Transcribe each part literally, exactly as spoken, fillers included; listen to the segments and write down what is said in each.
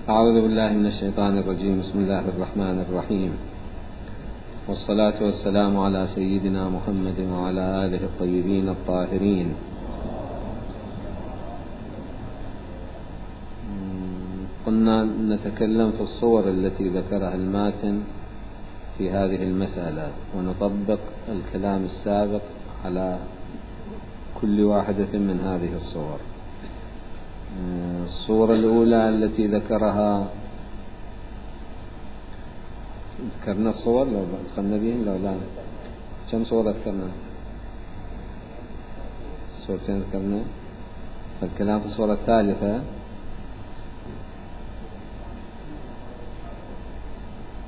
أعوذ بالله من الشيطان الرجيم. بسم الله الرحمن الرحيم، والصلاة والسلام على سيدنا محمد وعلى آله الطيبين الطاهرين. قلنا نتكلم في الصور التي ذكرها الماتن في هذه المسألة، ونطبق الكلام السابق على كل واحدة من هذه الصور. الصورة الأولى التي ذكرها، ذكرنا الصور لو دخلنا بهم لو لا كم صورة ذكرنا؟ صورتين ذكرنا. فالكلام في الصورة الثالثة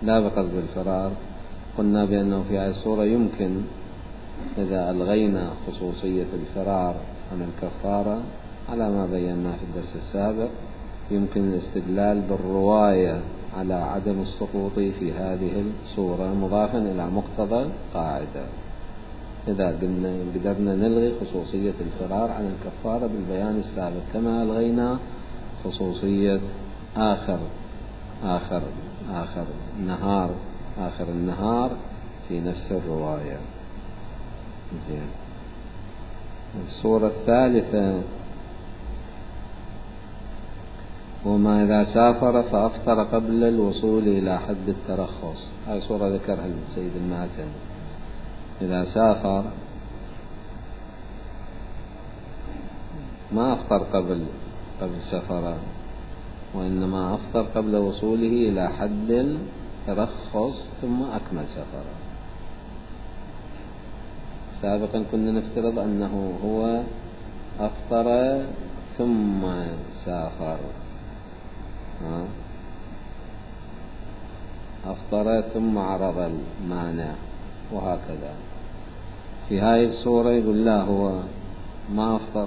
لا بقصد الفرار. قلنا بأنه في هذه الصورة يمكن إذا ألغينا خصوصية الفرار عن الكفارة على ما بينا في الدرس السابق، يمكن الاستدلال بالرواية على عدم السقوط في هذه الصورة مضافا إلى مقتضى القاعدة. إذا قدرنا نلغي خصوصية الفرار عن الكفارة بالبيان السابق، كما ألغينا خصوصية آخر آخر آخر نهار آخر النهار في نفس الرواية. زين. الصورة الثالثة، وما إذا سافر فأفطر قبل الوصول إلى حد الترخص. هذه صورة ذكرها السيد الماتن. إذا سافر ما أفطر قبل قبل سفره، وإنما أفطر قبل وصوله إلى حد الترخص ثم أكمل سفره. سابقا كنا نفترض أنه هو أفطر ثم سافر، أفطر ثم عرض المانع وهكذا. في هذه الصورة يقول لا، هو ما أفطر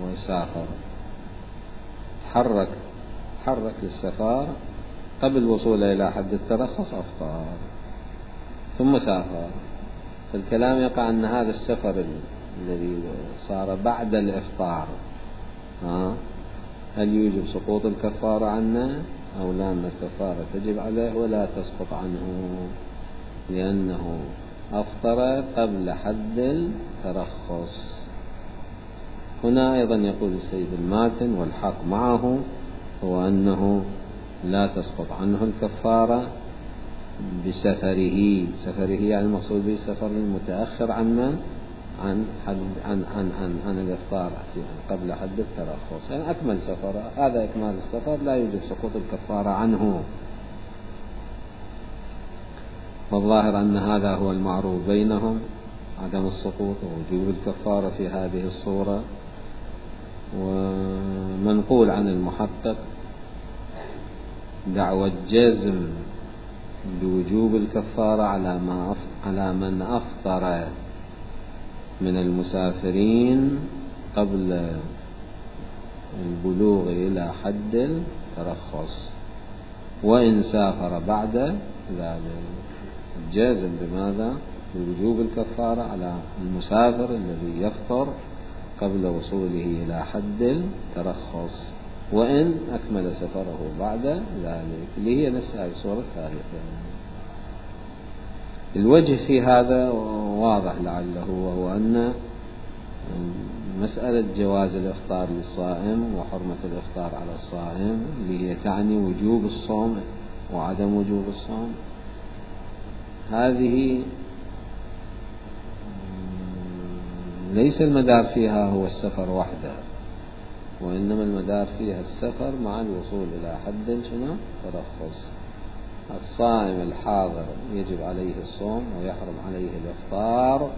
وسافر، تحرك تحرك للسفر قبل وصوله إلى حد الترخص، أفطر ثم سافر. فالكلام يقع أن هذا السفر الذي صار بعد الإفطار ها هل يوجب سقوط الكفارة عنه أو لا؟ أن الكفارة تجب عليه ولا تسقط عنه، لأنه أفطر قبل حد الترخص. هنا أيضا يقول السيد الماتن والحق معه هو أنه لا تسقط عنه الكفارة بسفره. سفره يعني المقصود به السفر المتأخر عن من؟ عن حد عن عن عن, عن الإفطار قبل حد الترخص، يعني أكمل سفر. هذا إكمال السفر لا يوجب سقوط الكفارة عنه. والظاهر أن هذا هو المعروف بينهم، عدم السقوط ووجوب الكفارة في هذه الصورة. ومنقول عن المحقق دعوى جزم بوجوب الكفارة على ما على من أفطر من المسافرين قبل البلوغ إلى حد الترخص، وإن سافر بعد ذلك. جازم بماذا؟ بوجوب الكفارة على المسافر الذي يفطر قبل وصوله إلى حد الترخص، وإن أكمل سفره بعد ذلك، اللي هي نفس هذه الصورة الثالثة. الوجه في هذا واضح لعله، وهو أن مسألة جواز الإفطار للصائم وحرمة الإفطار على الصائم اللي هي تعني وجوب الصوم وعدم وجوب الصوم، هذه ليس المدار فيها هو السفر وحده، وإنما المدار فيها السفر مع الوصول إلى حد شنو؟ ترخص. الصائم الحاضر يجب عليه الصوم ويحرم عليه الإفطار،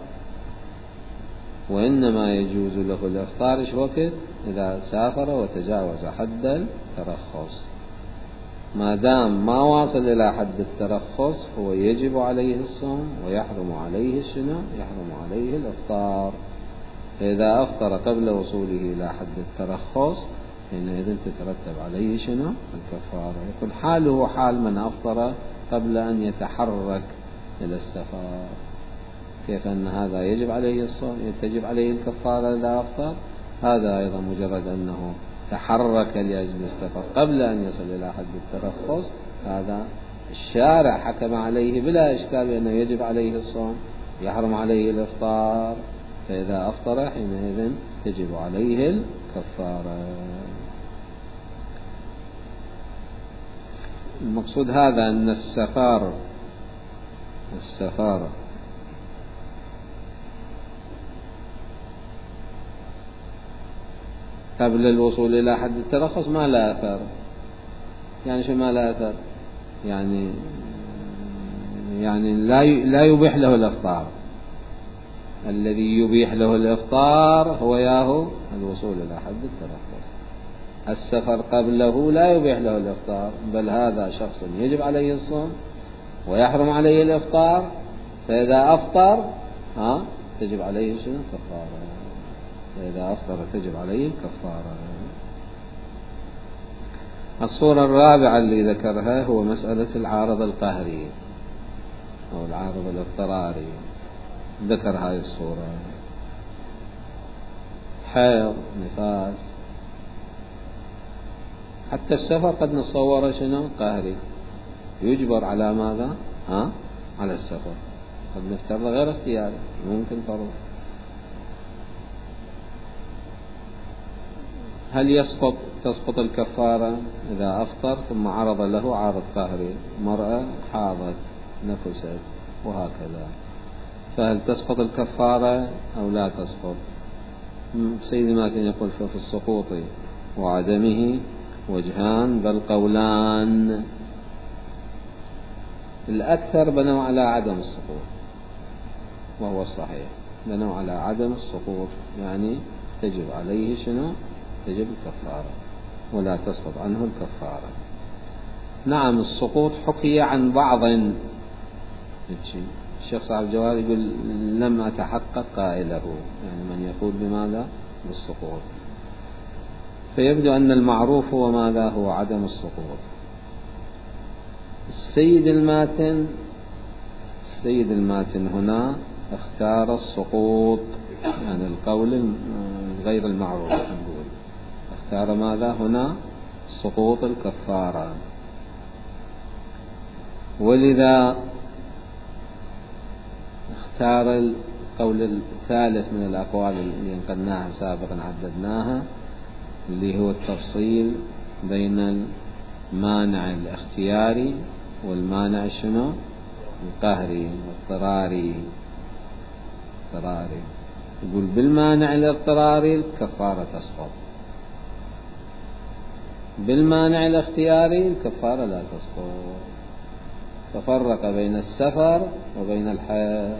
وإنما يجوز له الإفطار إيش وقت؟ إذا سافر وتجاوز حد الترخص. ما دام ما واصل إلى حد الترخص هو يجب عليه الصوم ويحرم عليه شنو؟ يحرم عليه الإفطار. فإذا أفطر قبل وصوله إلى حد الترخص حينئذ تترتب عليه شنو؟ الكفارة. يقول حاله حال من أفطر قبل أن يتحرك إلى السفر. كيف أن هذا يجب عليه الصوم، تجب عليه الكفارة إذا أفطر؟ هذا أيضا مجرد أنه تحرك لأجل السفر قبل أن يصل إلى حد الترخص، هذا الشارع حكم عليه بلا إشكال بأنه يجب عليه الصوم، يحرم عليه الإفطار، فإذا أفطر حينئذ تجب عليه الكفارة. المقصود هذا أن السفر السفر قبل الوصول إلى حد الترخص ما لا أثر. يعني شو ما لا أثر؟ يعني يعني لا لا يبيح له الإفطار. الذي يبيح له الإفطار هو ياهو الوصول إلى حد الترخص. السفر قبله لا يبيح له الإفطار، بل هذا شخص يجب عليه الصوم ويحرم عليه الإفطار، فإذا أفطر ها تجب عليه شنو؟ كفارة. فإذا أفطر تجب عليه الكفارة. الصورة الرابعة اللي ذكرها هو مسألة العارض القهري أو العارض الاضطراري. ذكر هذه الصورة: حيض، نفاس، حتى السفر قد نتصور شنو؟ قهري، يجبر على ماذا؟ ها؟ على السفر. قد نفترض غير اختياري، ممكن فرض. هل يسقط تسقط الكفارة إذا أفطر ثم عرض له عارض قهري؟ مرأة حاضت نفست وهكذا، فهل تسقط الكفارة أو لا تسقط؟ سيدي ماتن يقول في السقوط وعدمه وجهان بل قولان. الأكثر بنوا على عدم السقوط وهو الصحيح، بنوا على عدم السقوط، يعني تجب عليه شنو؟ تجب الكفارة ولا تسقط عنه الكفارة. نعم السقوط حكي عن بعض. الشيخ صاحب الجواد يقول لم أتحقق قائله، يعني من يقول بماذا؟ بالسقوط. فيبدو أن المعروف هو ماذا؟ هو عدم السقوط. السيد الماتن السيد الماتن هنا اختار السقوط، يعني القول غير المعروف، نقول اختار ماذا هنا؟ سقوط الكفارة. ولذا اختار القول الثالث من الأقوال اللي نقلناها سابقا عددناها، اللي هو التفصيل بين المانع الاختياري والمانع شنو؟ القهري الاضطراري. اضطراري يقول بالمانع الاضطراري الكفارة تسقط، بالمانع الاختياري الكفارة لا تسقط. ففرق بين السفر وبين الحيض،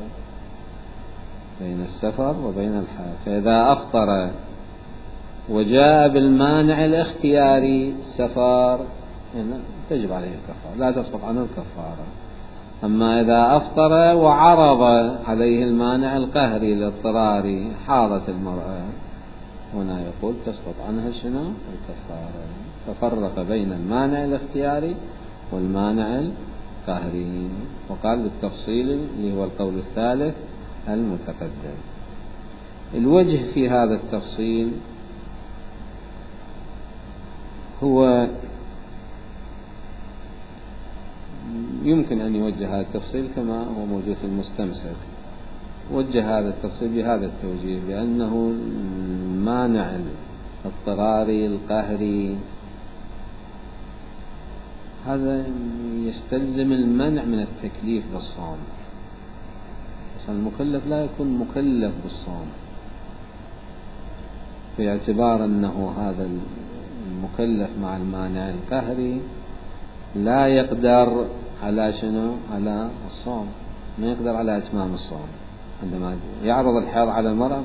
بين السفر وبين الحيض. فإذا أفطر وجاء بالمانع الاختياري السفر تجب عليه الكفارة، لا تسقط عنه الكفارة. أما إذا أفطر وعرض عليه المانع القهري الاضطراري، حاضت المرأة، هنا يقول تسقط عنها شنو؟ الكفارة. ففرق بين المانع الاختياري والمانع القهري، وقال بالتفصيل اللي هو القول الثالث المتقدم. الوجه في هذا التفصيل هو يمكن أن يوجه هذا التفصيل كما هو موجود في المستمسك. وجه هذا التفصيل بهذا التوجيه، بأنه المانع الاضطراري القهري هذا يستلزم المنع من التكليف بالصوم. أصلا المكلف لا يكون مكلف بالصوم، في اعتبار أنه هذا المكلف مع المانع القهري لا يقدر على شنو؟ على الصوم، ما يقدر على إتمام الصوم. عندما يعرض الحيض على المرأة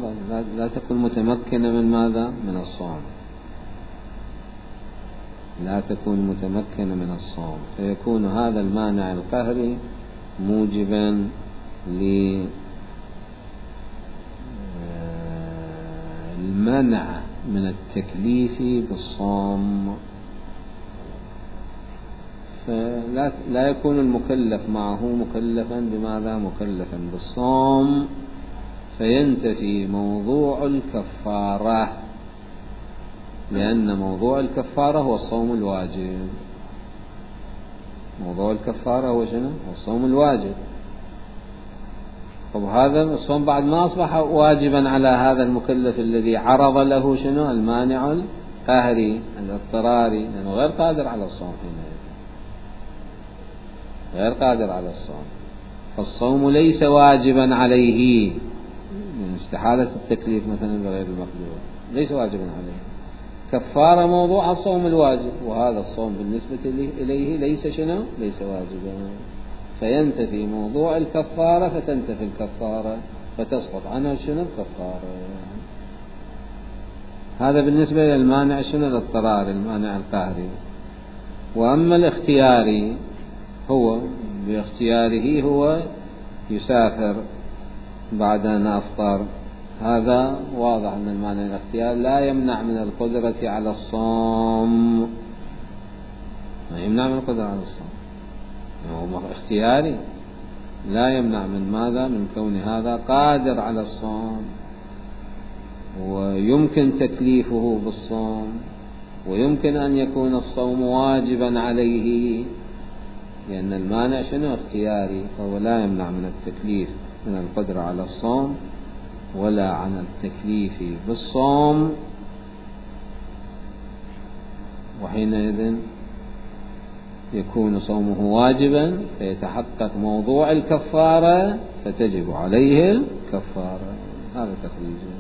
لا تكون متمكنة من ماذا؟ من الصوم، لا تكون متمكنة من الصوم، فيكون هذا المانع القهري موجبا للمنع من التكليف بالصوم. فلا لا يكون المكلف معه مكلفا بماذا؟ مكلفا بالصوم، فينتفي موضوع الكفارة. لأن موضوع الكفارة هو الصوم الواجب. موضوع الكفارة هو شنو؟ هو الصوم الواجب. طب هذا الصوم بعد ما أصبح واجبا على هذا المكلف الذي عرض له شنو؟ المانع القهري الاضطراري، لأنه غير قادر على الصوم حينئذ، غير قادر على الصوم، فالصوم ليس واجبا عليه من استحالة التكليف مثلا بغير المقدور، ليس واجبا عليه. كفارة موضوع الصوم الواجب، وهذا الصوم بالنسبة إليه ليس شنو؟ ليس واجبا، فينتفي موضوع الكفارة، فتنتفي الكفارة فتسقط عنه شنو؟ الكفارة. هذا بالنسبة للمانع شنو؟ الاضطراري، المانع القهري. وأما الاختياري، هو باختياره هو يسافر بعد أن أفطر، هذا واضح أن المانع الاختيار لا يمنع من القدرة على الصوم، ما يمنع من القدرة على الصوم، هو اختياري لا يمنع من ماذا؟ من كون هذا قادر على الصوم، ويمكن تكليفه بالصوم، ويمكن أن يكون الصوم واجبا عليه، لأن المانع شنو؟ اختياري، فهو لا يمنع من التكليف من القدرة على الصوم ولا عن التكليف بالصوم، وحينئذ يكون صومه واجبا، فيتحقق موضوع الكفارة فتجب عليه الكفارة. هذا تخريجه.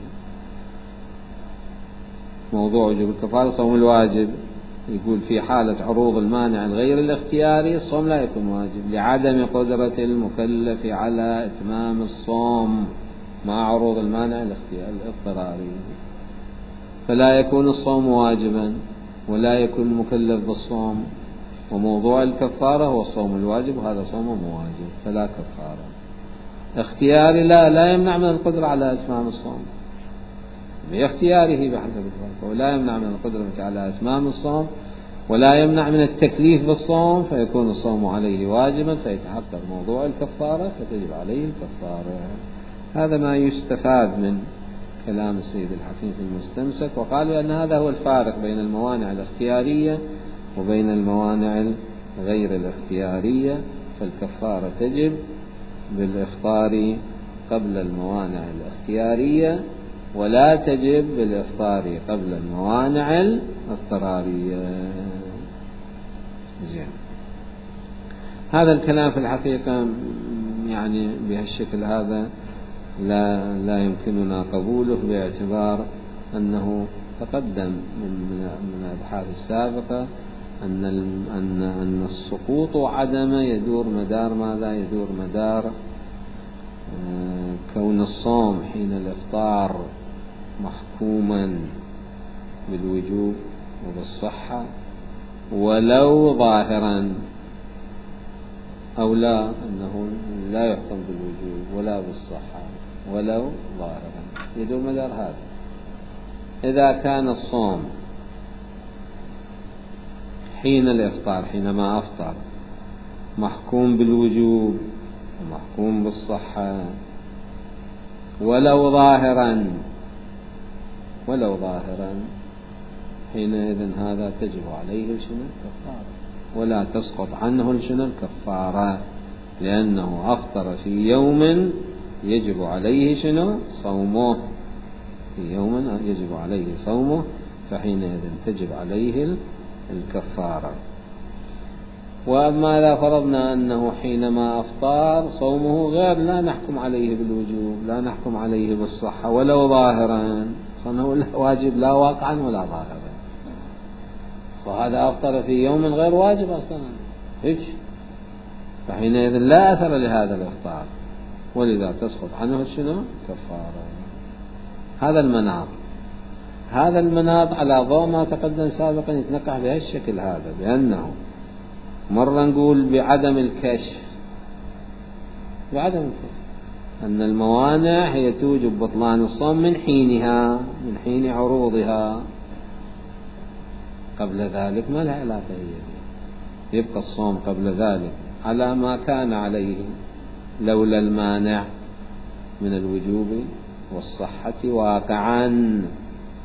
موضوع وجوب الكفارة صوم الواجب، يقول في حالة عروض المانع الغير الاختياري الصوم لا يكون واجب لعدم قدرة المكلف على إتمام الصوم مع عروض المانع الاضطراري، فلا يكون الصوم واجبا ولا يكون مكلف بالصوم. وموضوع الكفارة هو الصوم الواجب، وهذا صوم واجب فلا كفارة. اختياري لا لا يمنع من القدرة على إتمام الصوم باختياره بحسب الظرف، ولا يمنع من القدرة على إتمام الصوم، ولا يمنع من التكليف بالصوم، فيكون الصوم عليه واجبا، فيتحقق موضوع الكفارة فتجب عليه الكفارة. هذا ما يستفاد من كلام السيد الحكيم في المستمسك. وقالوا أن هذا هو الفارق بين الموانع الاختيارية وبين الموانع غير الاختيارية، فالكفارة تجب بالإفطار قبل الموانع الاختيارية، ولا تجب بالإفطار قبل الموانع الاضطرارية. زين. هذا الكلام في الحقيقة يعني بهالشكل هذا لا لا يمكننا قبوله، باعتبار أنه تقدم من من الأبحاث السابقة أن أن أن السقوط وعدمه يدور مدار ماذا؟ يدور مدار كون الصوم حين الإفطار محكوما بالوجوب وبالصحة ولو ظاهرا، أو لا أنه لا يحكم بالوجوب ولا بالصحة ولو ظاهرا، يدور مدار هذا. إذا كان الصوم حين الإفطار حينما أفطر محكوم بالوجوب ومحكوم بالصحة ولو ظاهرا ولو ظاهرا حينئذ هذا تجب عليه شنو؟ الكفارة، ولا تسقط عنه شنو؟ الكفارة، لأنه أفطر في يوم يجب عليه شنو؟ صومه، في يوم يجب عليه صومه، فحينئذ تجب عليه الكفارة. وأما إذا فرضنا أنه حينما أفطار صومه غير، لا نحكم عليه بالوجوب، لا نحكم عليه بالصحة ولو ظاهرا، صنه واجب لا واقعا ولا ظاهرا، وهذا أفطر في يوم غير واجب أصلا هيك، فحينئذ لا أثر لهذا الإفطار، ولذا تسقط عنه شنو؟ كفارة. هذا المناط هذا المناط على ضوء ما تقدم سابقا يتنقح بهالشكل هذا، بأنه مرة نقول بعدم الكشف بعدم الكشف أن الموانع هي توجب بطلان الصوم من حينها، من حين عروضها، قبل ذلك ما لها علاقة، هي يبقى الصوم قبل ذلك على ما كان عليه لولا المانع من الوجوب والصحة واقعا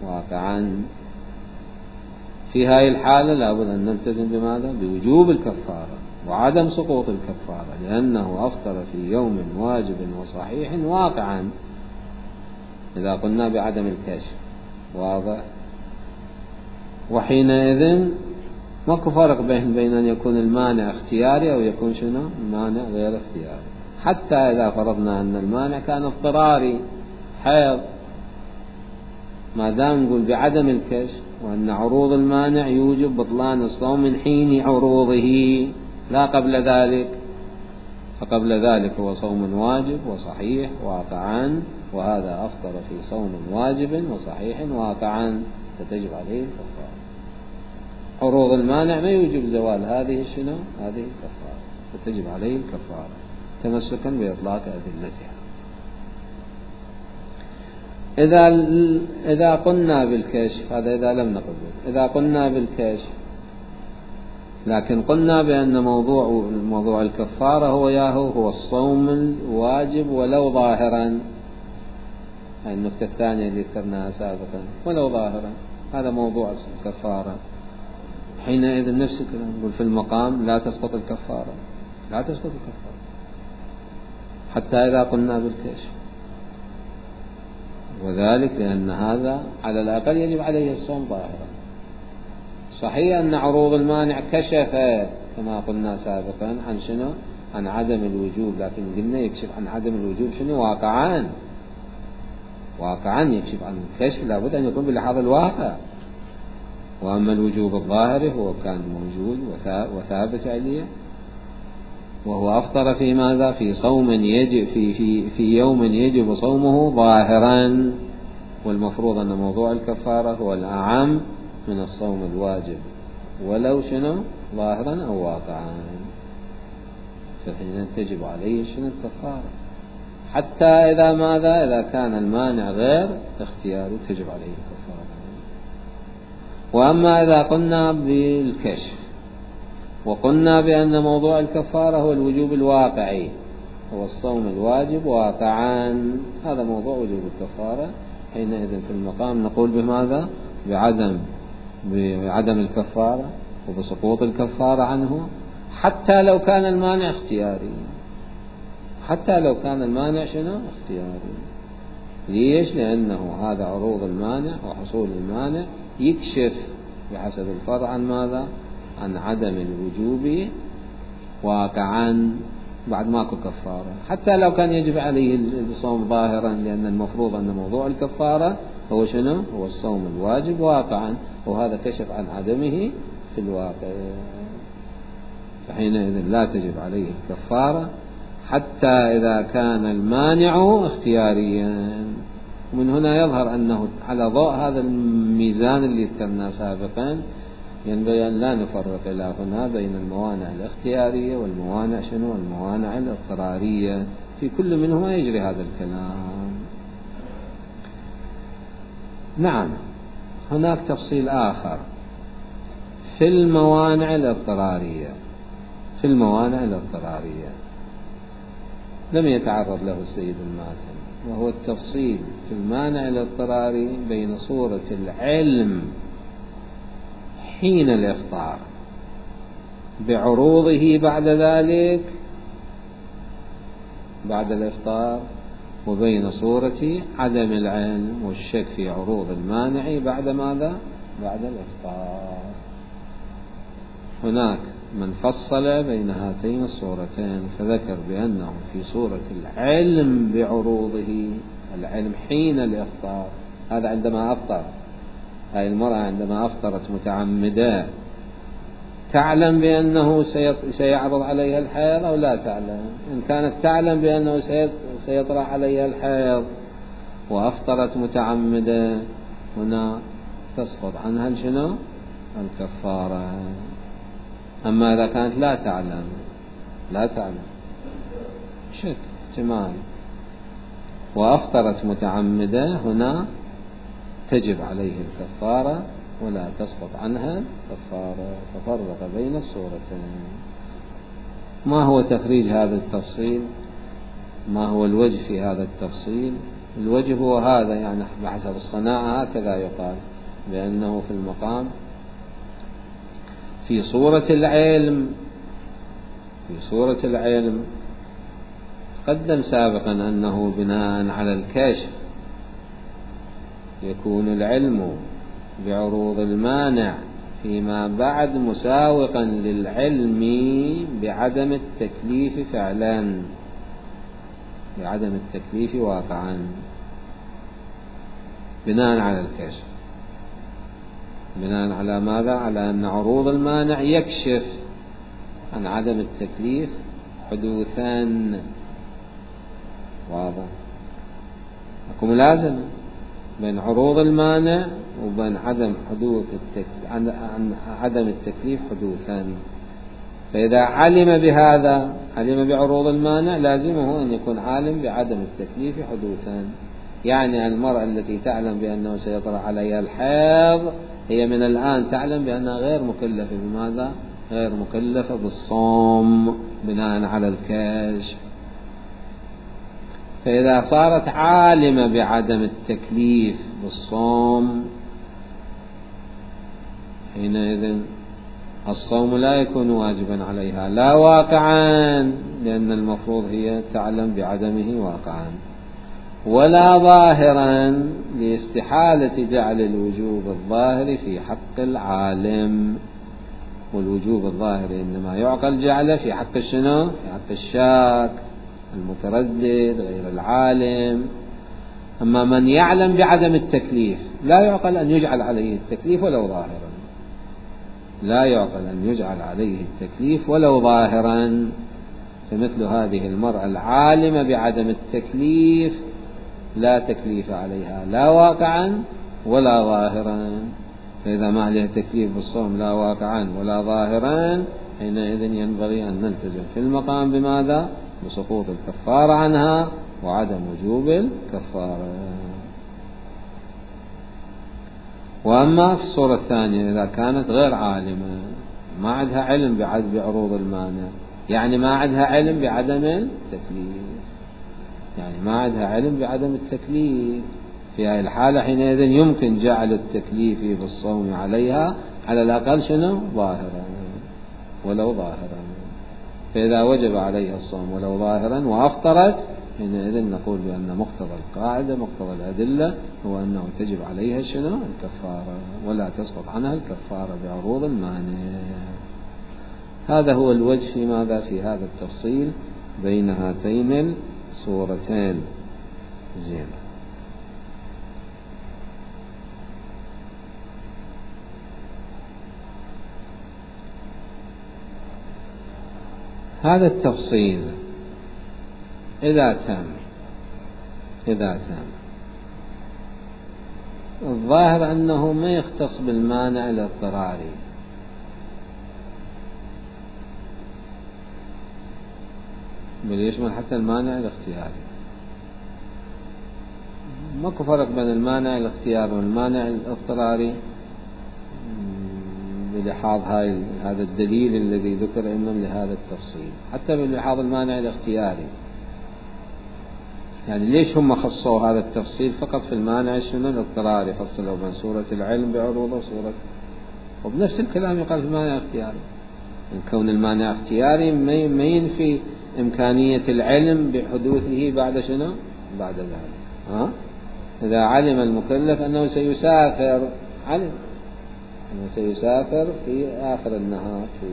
واقعا في هذه الحالة لابد أن نلتزم بماذا؟ بوجوب الكفارة وعدم سقوط الكفارة، لأنه أفطر في يوم واجب وصحيح واقعا إذا قلنا بعدم الكشف. واضح؟ وحينئذ ماكو فرق بين بين أن يكون المانع اختياري أو يكون شنو؟ المانع غير اختياري. حتى إذا فرضنا أن المانع كان اضطراري حيض، ما دام نقول بعدم الكشف وأن عروض المانع يوجب بطلان الصوم من حين عروضه لا قبل ذلك، فقبل ذلك هو صوم واجب وصحيح واقعا، وهذا أفطر في صوم واجب وصحيح واقعا فتجب عليه الكفارة. عروض المانع ما يوجب زوال هذه الشنو؟ هذه الكفارة، فتجب عليه الكفارة تمسكا بإطلاق أدلتها. إذا إذا قلنا بالكشف، هذا إذا لم نقل به، إذا قلنا بالكشف لكن قلنا بأن موضوع موضوع الكفارة هو ياهو هو الصوم الواجب ولو ظاهرا، هذه النقطة الثانية اللي ذكرناها سابقا، ولو ظاهرا هذا موضوع الكفارة. حينئذ نفس الكلام نقول في المقام لا تسقط الكفارة، لا تسقط الكفارة حتى إذا قلنا بالكشف، وذلك لأن هذا على الأقل يجب عليه الصوم ظاهرا. صحيح أن عروض المانع كشفت كما قلنا سابقا عن شنو؟ عن عدم الوجوب، لكن قلنا يكشف عن عدم الوجوب شنو؟ واقعا، واقعا يكشف عن الكشف لابد أن يكون بلحاظ الواقع. وأما الوجوب الظاهري هو كان موجود وثابت عليه، وهو أفطر في ماذا؟ في صوم يجب في في في يوم يجب صومه ظاهرا، والمفروض أن موضوع الكفارة هو الأعم من الصوم الواجب ولو شنو؟ ظاهرا أو واقعا، فحين تجب عليه شنو؟ الكفارة. حتى إذا ماذا؟ إذا كان المانع غير اختياري تجب عليه الكفارة. وأما إذا قلنا بالكشف وقلنا بأن موضوع الكفارة هو الوجوب الواقعي، هو الصوم الواجب واقعا، هذا موضوع وجوب الكفارة، حينئذ في المقام نقول بماذا؟ بعدم بعدم الكفارة وبسقوط الكفارة عنه، حتى لو كان المانع اختياري، حتى لو كان المانع شنو؟ اختياري. ليش؟ لأنه هذا عروض المانع وحصول المانع يكشف بحسب الفرع عن ماذا؟ عن عدم الوجوب واقعا بعد ماكو كفارة، حتى لو كان يجب عليه الصوم ظاهرا، لأن المفروض أن موضوع الكفارة هو شنو؟ هو الصوم الواجب واقعا، وهذا كشف عن عدمه في الواقع، فحينئذ لا تجب عليه الكفارة حتى إذا كان المانع اختياريا. ومن هنا يظهر أنه على ضوء هذا الميزان اللي ذكرناه سابقا ينبغي أن لا نفرق إلى هنا بين الموانع الاختيارية والموانع شنو؟ الموانع الاضطرارية، في كل منهما يجري هذا الكلام. نعم، هناك تفصيل آخر في الموانع الاضطرارية، في الموانع الاضطرارية لم يتعرض له السيد الماتن، وهو التفصيل في المانع الاضطراري بين صورة العلم حين الإفطار بعروضه بعد ذلك بعد الإفطار، وبين صورة عدم العلم والشك في عروض المانع بعد ماذا؟ بعد الإفطار. هناك من فصل بين هاتين الصورتين فذكر بأنه في صورة العلم بعروضه، العلم حين الإفطار، هذا عندما أفطر، هذه المرأة عندما أفطرت متعمدة تعلم بأنه سيعرض عليها الحيض أو لا تعلم؟ إن كانت تعلم بأنه سيطرأ عليها الحيض وأفطرت متعمدة، هنا تسقط عنها شنو؟ الكفارة. أما إذا كانت لا تعلم، لا تعلم شك احتمال وأفطرت متعمدة، هنا تجب عليه الكفارة ولا تسقط عنها الكفارة. ففرق بين الصورتين. ما هو تخريج هذا التفصيل؟ ما هو الوجه في هذا التفصيل؟ الوجه هو هذا، يعني بحسب الصناعة هكذا يقال، بأنه في المقام في صورة العلم في صورة العلم تقدم سابقا أنه بناء على الكشف يكون العلم بعروض المانع فيما بعد مساوقا للعلم بعدم التكليف فعلا، بعدم التكليف واقعا، بناء على الكشف. بناء على ماذا؟ على أن عروض المانع يكشف عن عدم التكليف حدوثا. واضح؟ أكو ملازمة بين عروض المانع وبين عدم حدوث التكليف، عن عدم التكليف حدوثا. فإذا علم بهذا، علم بعروض المانع، لازمه أن يكون عالم بعدم التكليف حدوثا. يعني المرأة التي تعلم بأنه سيطرأ عليها الحيض هي من الآن تعلم بأنها غير مكلفة بماذا؟ غير مكلفة بالصوم بناء على الكشف. فإذا صارت عالمة بعدم التكليف بالصوم حينئذ الصوم لا يكون واجبا عليها، لا واقعا، لأن المفروض هي تعلم بعدمه واقعا، ولا ظاهرا لاستحالة جعل الوجوب الظاهر في حق العالم. والوجوب الظاهر إنما يعقل جعله في حق الشنو؟ في حق الشاك المتردد غير العالم. أما من يعلم بعدم التكليف لا يعقل أن يجعل عليه التكليف ولو ظاهرا، لا يعقل أن يجعل عليه التكليف ولو ظاهرا. فمثل هذه المرأة العالمة بعدم التكليف لا تكليف عليها لا واقعا ولا ظاهرا. فإذا ما عليها تكليف بالصوم لا واقعا ولا ظاهرا حينئذ ينبغي أن نلتزم في المقام بماذا؟ بسقوط الكفارة عنها وعدم وجوب الكفارة. وأما في الصورة الثانية إذا كانت غير عالمة، ما عندها علم بعروض المانع، يعني ما عندها علم بعدم التكليف، يعني ما عندها علم بعدم التكليف، في هذه الحالة حينئذ يمكن جعل التكليف بالصوم عليها على الأقل شنو؟ ظاهرا ولو ظاهرا. فإذا وجب عليها الصوم ولو ظاهرا وأفطرت حينئذ نقول بأن مقتضى القاعدة مقتضى الأدلة هو أنه تجب عليها شنو؟ الكفارة، ولا تسقط عنها الكفارة بعروض المانع. هذا هو الوجه في ماذا؟ في هذا التفصيل بين هاتين الصورتين. زين. هذا التفصيل إذا تم إذا تم الظاهر أنه ما يختص بالمانع الاضطراري، بل يشمل حتى المانع الاختياري. ماكو فرق بين المانع الاختياري والمانع الاضطراري بلحاظ هاي هذا الدليل الذي ذكر إما لهذا التفصيل، حتى بلحاظ المانع الاختياري. يعني ليش هم خصوا هذا التفصيل فقط في المانع شنو الاضطراري؟ فصلوا بين سورة العلم بعروضه وسورة، وبنفس الكلام يقال في المانع الاختياري. إن كون المانع اختياري ما ينفي إمكانية العلم بحدوثه بعد شنو؟ بعد ذلك. ها؟ إذا علم المكلف أنه سيسافر، علم أنه سيسافر في آخر النهار، في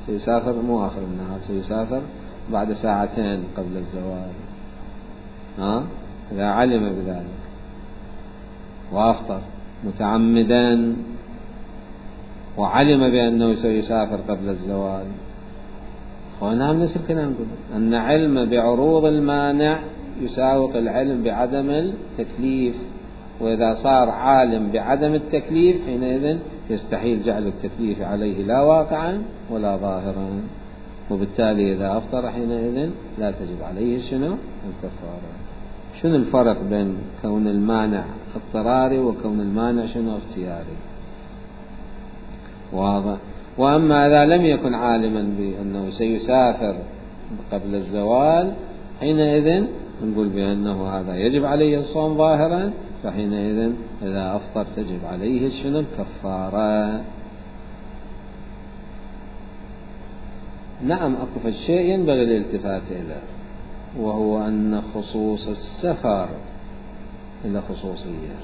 سيسافر مو آخر النهار، سيسافر بعد ساعتين قبل الزوال. ها؟ إذا علم بذلك وأفطر متعمدا وعلم بأنه سيسافر قبل الزوال، ونعم نفس الكلام نقول أن علم بعروض المانع يساوق العلم بعدم التكليف. وإذا صار عالم بعدم التكليف حينئذ يستحيل جعل التكليف عليه لا واقعا ولا ظاهرا، وبالتالي إذا أفطر حينئذ لا تجب عليه شنو؟ الكفارة. شنو الفرق بين كون المانع اضطراري وكون المانع شنو؟ اختياري. واضح. وأما إذا لم يكن عالما بأنه سيسافر قبل الزوال حينئذ نقول بأنه هذا يجب عليه الصوم ظاهرا، فحينئذ إذا أفطر تجب عليه شنو؟ الكفارة. نعم أكو الشيء ينبغي الالتفات إليه، وهو أن خصوص السفر إلى خصوصية.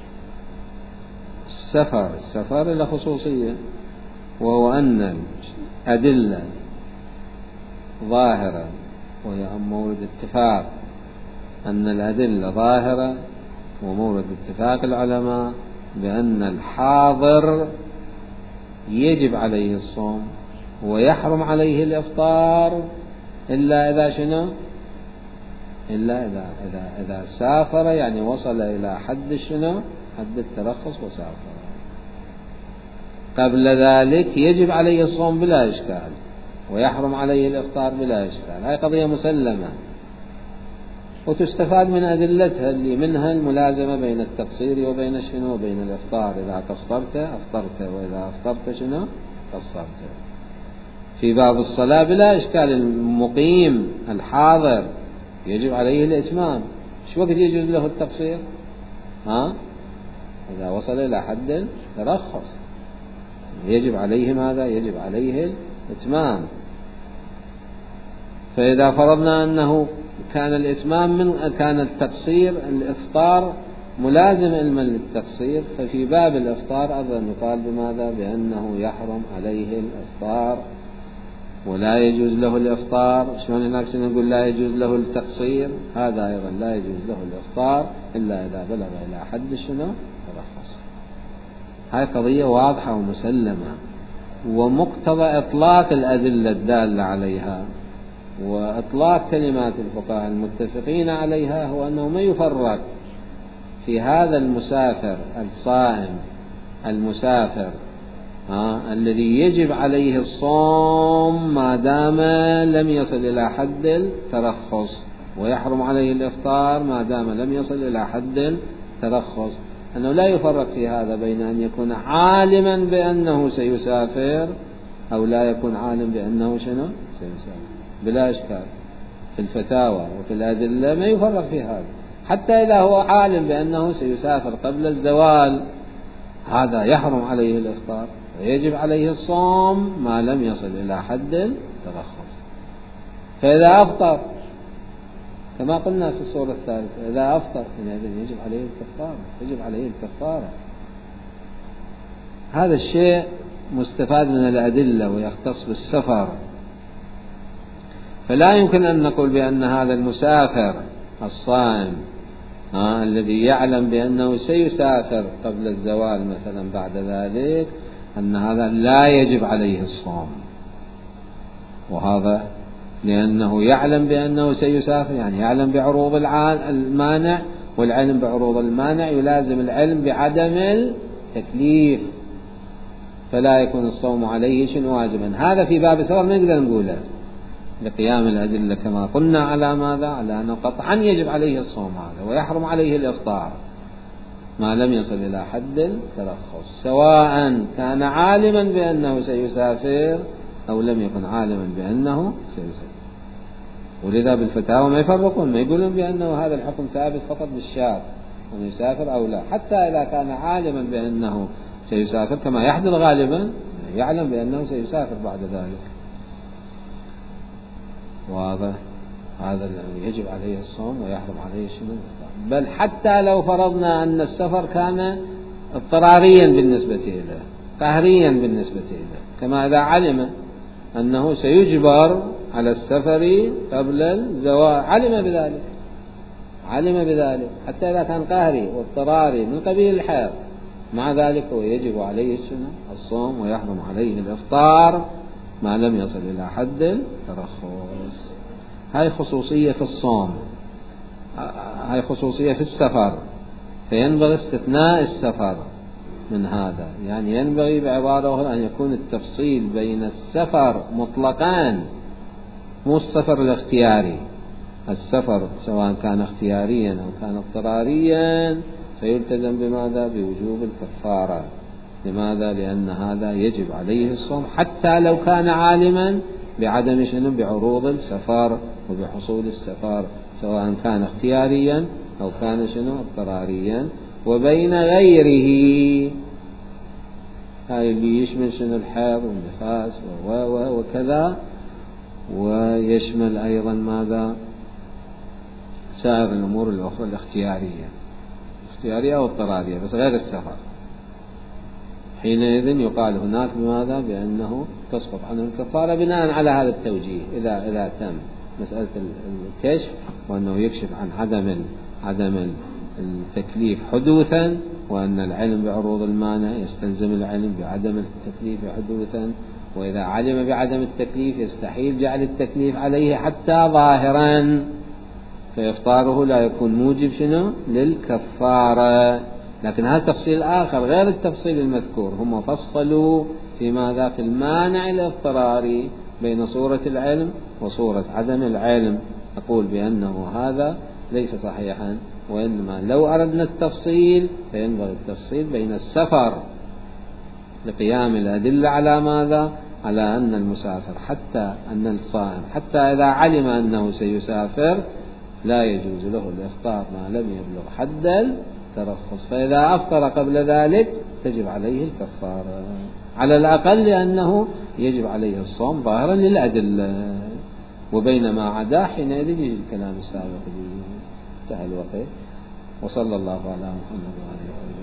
السفر السفر إلى خصوصية، وهو أن الأدلة ظاهرة، وهي مورد اتفاق أن الأدلة ظاهرة ومورد اتفاق العلماء بأن الحاضر يجب عليه الصوم ويحرم عليه الإفطار إلا إذا شنو إلا إذا إذا إذا سافر، يعني وصل إلى حد شنو حد الترخص وسافر. قبل ذلك يجب عليه الصوم بلا إشكال ويحرم عليه الإفطار بلا إشكال. هاي قضية مسلمة وتستفاد من أدلتها اللي منها الملازمة بين التقصير وبين شنو وبين الإفطار. إذا قصرت أفطرت، وإذا أفطرت شنو قصرت. في باب الصلاة بلا إشكال المقيم الحاضر يجب عليه الإتمام. شو وقت يجوز له التقصير؟ ها؟ إذا وصل إلى حد الترخص يجب عليه ماذا؟ يجب عليه الإتمام. فإذا فرضنا أنه كان الإتمام من كان التقصير الإفطار ملازم علما للتقصير، ففي باب الإفطار أيضا يقال بماذا؟ بأنه يحرم عليه الإفطار ولا يجوز له الإفطار. شلون هناك نقول لا يجوز له التقصير، هذا أيضا لا يجوز له الإفطار إلا إذا بلغ إلى حد شنو ترخص. هاي قضية واضحة ومسلمة، ومقتضى إطلاق الأدلة الدالة عليها وإطلاق كلمات الفقهاء المتفقين عليها هو أنه ما يفرق في هذا المسافر الصائم المسافر آه الذي يجب عليه الصوم ما دام لم يصل إلى حد الترخص، ويحرم عليه الإفطار ما دام لم يصل إلى حد الترخص. أنه لا يفرق في هذا بين أن يكون عالما بأنه سيسافر أو لا يكون عالم بأنه شنو سيسافر، بلا إشكال. في الفتاوى وفي الأدلة ما يفرق في هذا. حتى إذا هو عالم بأنه سيسافر قبل الزوال هذا يحرم عليه الإفطار ويجب عليه الصوم ما لم يصل إلى حد الترخص. فإذا أفطر كما قلنا في الصورة الثالثة، إذا أفطر يجب عليه الكفارة، يجب عليه الكفارة. هذا الشيء مستفاد من الأدلة ويختص بالسفر. فلا يمكن أن نقول بأن هذا المسافر الصائم آه الذي يعلم بأنه سيسافر قبل الزوال مثلا بعد ذلك أن هذا لا يجب عليه الصوم. وهذا لأنه يعلم بأنه سيسافر، يعني يعلم بعروض المانع، والعلم بعروض المانع يلازم العلم بعدم التكليف، فلا يكون الصوم عليه شنو واجبا. هذا في باب السفر ما نقدر نقوله لقيام الأدلة كما قلنا على ماذا؟ على أنه قطعا يجب عليه الصوم هذا ويحرم عليه الإفطار ما لم يصل إلى حد الترخص، سواء كان عالما بأنه سيسافر أو لم يكن عالما بأنه سيسافر. ولذا بالفتاوى ما يفرقون، ما يقولون بأنه هذا الحكم ثابت فقط بالشاب أن يسافر أو لا، حتى إذا كان عالما بأنه سيسافر كما يحدث غالبا يعلم بأنه سيسافر بعد ذلك. وهذا هذا يجب عليه الصوم ويحرم عليه شنو. بل حتى لو فرضنا أن السفر كان اضطراريا بالنسبة إليه، قهريا بالنسبة إليه، كما إذا علم أنه سيجبر على السفر قبل الزواج، علم بذلك علم بذلك حتى إذا كان قهري واضطراري من قبيل الحيض، مع ذلك هو يجب عليه الصوم ويحرم عليه الإفطار ما لم يصل إلى حد الترخص. هاي خصوصية في الصوم، هاي خصوصية في السفر، فينبغي استثناء السفر من هذا. يعني ينبغي بعبارة أخرى أن يكون التفصيل بين السفر مطلقان، مو السفر الاختياري. السفر سواء كان اختياريا أو كان اضطراريا فيلتزم بماذا؟ بوجوب الكفارة. لماذا؟ لأن هذا يجب عليه الصوم حتى لو كان عالما بعدم شنو بعروض السفر وبحصول السفر، سواء كان اختياريا أو كان شنو اضطراريا. وبين غيره هاي اللي يشمل شنو الحيض والنفاس وكذا ويشمل أيضا ماذا؟ سائر الأمور الأخرى الاختيارية الاختيارية أو اضطرارية بس غير السفر. حينئذ يقال هناك بماذا؟ بأنه تسقط عنه الكفارة بناء على هذا التوجيه. إذا إذا تم مسألة الكشف وأنه يكشف عن عدم عدم التكليف حدوثا، وأن العلم بعروض المانع يستلزم العلم بعدم التكليف حدوثا، وإذا علم بعدم التكليف يستحيل جعل التكليف عليه حتى ظاهرا، فإفطاره لا يكون موجب شنو؟ للكفارة. لكن هذا تفصيل آخر غير التفصيل المذكور. هم فصلوا في ماذا؟ في المانع الاضطراري بين صورة العلم وصورة عدم العلم. أقول بأنه هذا ليس صحيحا، وإنما لو أردنا التفصيل فينبغي التفصيل بين السفر لقيام الأدلة على ماذا؟ على أن المسافر حتى أن الصائم حتى إذا علم أنه سيسافر لا يجوز له الإفطار ما لم يبلغ حد الترخص، فإذا أفطر قبل ذلك تجب عليه الكفارة على الأقل، لأنه يجب عليه الصوم ظاهرا للأدلة. وبينما عدا حينئذ يجي الكلام السابق. انتهى الوقت. وصلى الله على محمد وعلى آله وسلم.